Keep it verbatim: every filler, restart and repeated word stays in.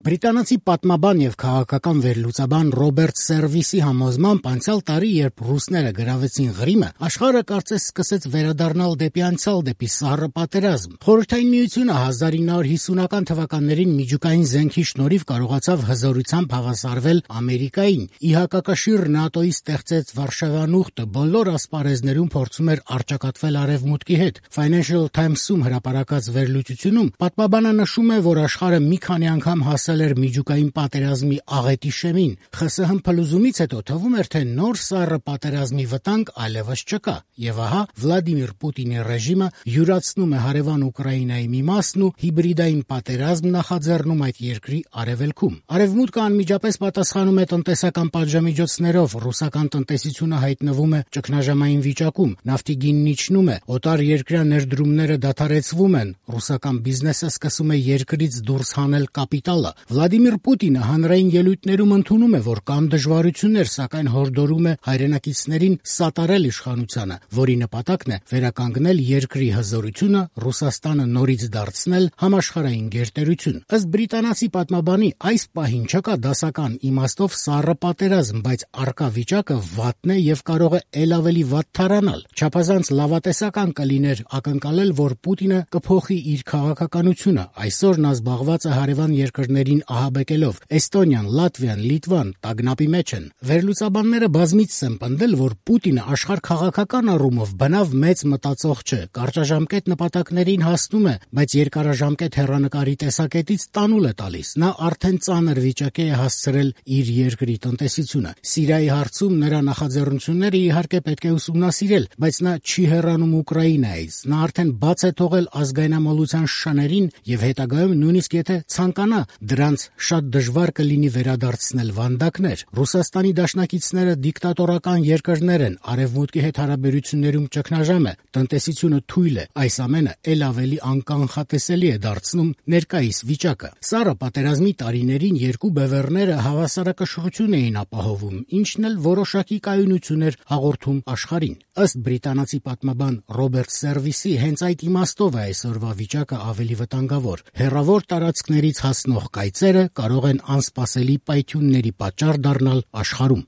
Բրիտանացի պատմաբան եւ քաղաքական վերլուծաբան Ռոբերտ Սերվիսի համոզմամբ անցյալ տարի, երբ ռուսները գրավեցին Ղրիմը, աշխարհը կարծես սկսեց վերադառնալ դեպի անցյալ, դեպի սառը պատերազմ։ Խորհրդային Միությունը հազար ինը հարյուր հիսունական թվականներին միջուկային զենքի շնորհիվ կարողացավ հզորությամբ հավասարվել Ամերիկային։ Ի հակակշիռ ՆԱՏՕ-ի ստեղծեց Վարշավյան ուխտը բոլոր ասպարեզներում փորձում էր առճակատվել Արևմուտքի հետ։ Financial Times-ում հրապարակած վերլուծությունում պատմաբանը նշում է, որ աշխարհը մի քանի անգամ հասել էր միջուկային պատերազմի աղետի շեմին։ ԽՍՀՄ փլուզումից հետո թվում էր, թե նոր սառը պատերազմի վտանգ այլևս չկա։ Եվ ահա Վլադիմիր Պուտինի ռեժիմը յուրացնում է հարևան Ուկրաինայի մի մասն ու հիբրիդային պատերազմ նախաձեռնում այդ երկրի արևելքում։ Արևմուտքը անմիջապես պատասխանում է տնտեսական պատժամիջոցներով, ռուսական տնտեսությունը հայտնվում է ճգնաժամային վիճակում, նավթի գինն իջնում է, օտար երկրյա ներդրումները դադարեցվում են, ռուսական բիզնեսը սկսում է երկրից դուրս հանել կապիտալը։ Վլադիմիր Պուտինը հանրային ելույթներում ընդունում է, որ կան դժվարություններ, սակայն հորդորում է հայրենակիցներին սատարել իշխանությանը, որի նպատակն է վերականգնել երկրի հզորությունը, Ռուսաստանը նորից դարձնել համաշխարհային գերտերություն։ Ըստ բրիտանացի պատմաբանի, այս պահին չկա դասական իմաստով սառը պատերազմ, բայց առկա վիճակը վատն է եւ կարող է ել ավելի վատ թարանալ։ Չափազանց լավատեսական կլիներ ակնկալել, որ Պուտինը կփոխի իր քաղաքականությունը։ Այսօր նա զբաղված է հարևան երկրներին ահաբեկելով։ Էստոնիան, Լատվիան, Լիտվան տագնապի մեջ են։ Վերլուծաբանները բազմիցս են պնդել, որ Պուտինը աշխարհաքաղաքական առումով բնավ մեծ մտածող չէ, կարճաժամկետ նպատակներին հասնում է, բայց երկարաժամկետ հեռանկարի տեսակետից տանուլ է տալիս։ Նա արդեն ծանր վիճակի է հասցրել իր երկրի տնտեսությունը։ Սիրիայի հարցում նրա նախաձեռնությունները իհարկե պետք է ուսումնասիրել, բայց նա չի հեռանում Ուկրաինայից։ Նա արդեն բաց է թողել ազգայնամոլության շներին եւ հետագայում նույնիսկ եթե ցանկանա, դրանց շատ դժվար կլինի վերադարձնել վանդակներ։ Ռուսաստանի դաշնակիցները դիկտատորական երկրներ են, արևմուտքի հետ հարաբերություններում ճգնաժամ է, տնտեսությունը թույլ է։ Այս ամենը ել ավելի անկանխատեսելի է դարձնում ներկայիս վիճակը։ Սառը պատերազմի տարիներին երկու բևեռները հավասարակշռություն էին ապահովում, ինչն էլ որոշակի կայունություն էր հաղորդում աշխարհին։ Ըստ բրիտանացի պատմաբան Ռոբերտ Սերվիսի, հենց այդ իմաստով է այսօրվա վիճակը ավելի վտանգավոր։ Հեռավոր տարածքներից հասնող կայծերը կարող են անսպասելի պայթյունների պատճառ դառնալ աշխարհում։